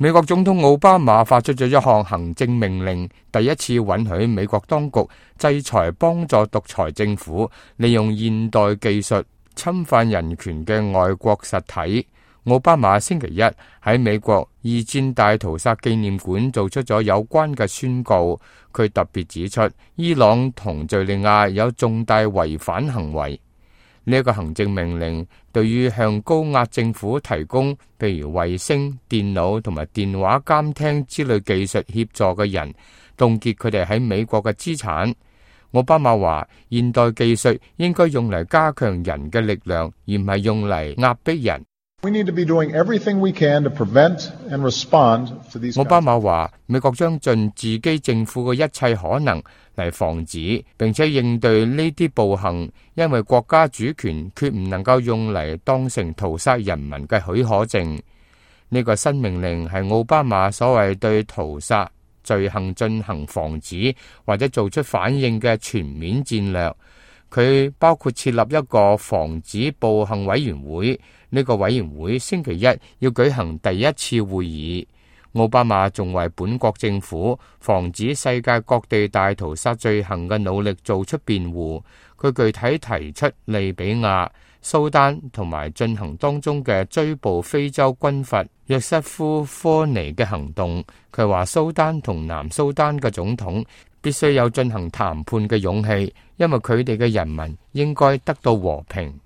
美國總統奧巴馬發出咗一項行政命令，第一次允許美國當局制裁幫助獨裁政府利用現代技術侵犯人權嘅外國實體。奧巴馬星期一喺美國二戰大屠殺紀念館做出咗有關嘅宣告，佢特別指出伊朗同敘利亞有重大違反行為。呢一個行政命令對於向高壓政府提供譬如衛星、電腦同埋電話監聽之類技術協助嘅人，凍結佢哋喺美國嘅資產。奧巴馬話：現代技術應該用嚟加強人嘅力量，而唔係用嚟壓迫人。奧巴馬話：美國將盡自己政府嘅一切可能嚟防止並且應對呢啲暴行，因為國家主權決唔能夠用嚟當成屠殺人民嘅許可證。呢個新命令係奧巴馬所謂對屠殺罪行進行防止或者做出反應嘅全面戰略。佢包括設立一個防止暴行委員會，呢個委員會星期一要舉行第一次會議。奧巴馬仲為本國政府防止世界各地大屠殺罪行嘅努力做出辯護。佢具體提出利比亞、蘇丹同埋進行當中嘅追捕非洲軍閥約瑟夫科尼嘅行動。佢話蘇丹同南蘇丹嘅總統必須有進行談判嘅勇氣，因為佢哋嘅人民應該得到和平。